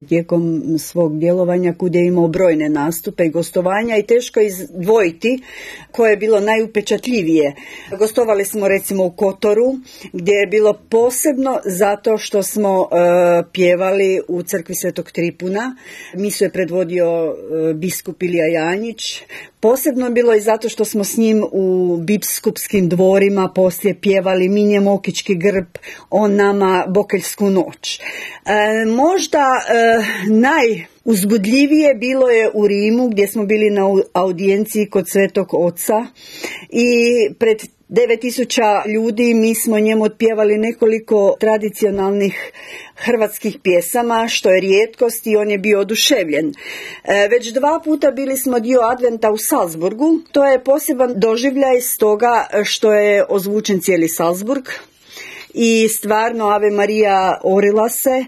tijekom svog djelovanja, kud je imao brojne nastupe i gostovanja i teško izdvojiti koje je bilo najupečatljivije. Gostovali smo recimo u Kotoru, gdje je bilo posebno zato što smo pjevali u crkvi Svetog Tripuna. Misu je predvodio biskup Ilija Janjić. Posebno je bilo i zato što smo s njim u biskupskim dvorima poslije pjevali Mi nje mokički grb, on nama Bokeljsku noć. Možda najuzbudljivije bilo je u Rimu, gdje smo bili na audijenciji kod Svetog Oca i pred 9000 ljudi mi smo njemu otpjevali nekoliko tradicionalnih hrvatskih pjesama, što je rijetkost i on je bio oduševljen. Već 2 puta bili smo dio Adventa u Salzburgu. To je poseban doživljaj stoga što je ozvučen cijeli Salzburg i stvarno Ave Marija orila se